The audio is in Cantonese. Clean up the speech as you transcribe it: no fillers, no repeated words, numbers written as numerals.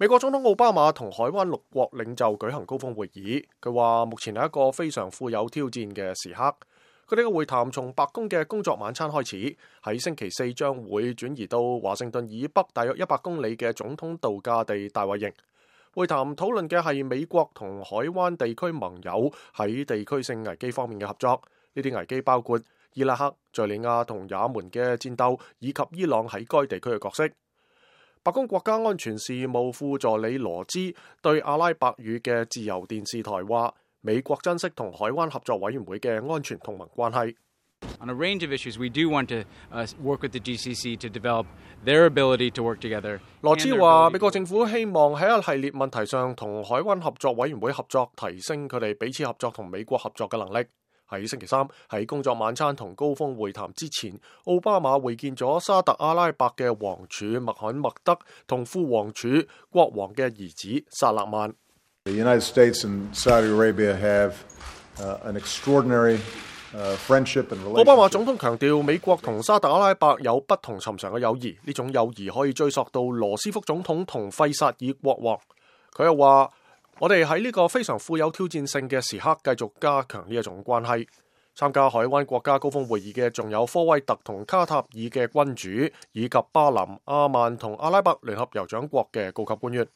美國總統奧巴馬同海灣6國領袖舉行高峰會議，佢話目前係一個非常富有挑戰嘅時刻。佢哋嘅會談從白宮嘅工作晚餐開始，喺星期四將會轉移到華盛頓以北大約100公里嘅總統度假地大衛營。會談討論嘅係美國同海灣地區盟友喺地區性危機方面嘅合作。呢啲危機包括伊拉克、敘利亞同也門嘅戰鬥，以及伊朗喺該地區嘅角色。白宮國家安全事務副助理羅茲對阿拉伯語嘅自由電視台話，美國珍惜同海灣合作委員會嘅安全同盟關係。On a range of issues, we do want to work with the GCC to develop their ability to work together. 羅茲話，美國政府希望喺一系列問題上同海灣合作委員會合作，提升佢哋彼此合作同美國合作嘅能力。喺星期三喺工作晚餐同高峰會談之前，奧巴馬會見咗沙特阿拉伯嘅王儲穆罕默德同副王儲國王嘅兒子薩勒曼。The United States and Saudi Arabia have an extraordinary friendship and relationship. 奧巴馬總統強調，美國同沙特阿拉伯有不同尋常嘅友誼，呢種友誼可以追溯到羅斯福總統同費薩爾國王。佢又話，我哋喺呢個非常富有挑戰性嘅時刻，繼續加強呢一種關係。參加海灣國家高峰會議嘅仲有科威特同卡塔爾嘅君主，以及巴林、阿曼同阿拉伯聯合酋長國嘅高級官員。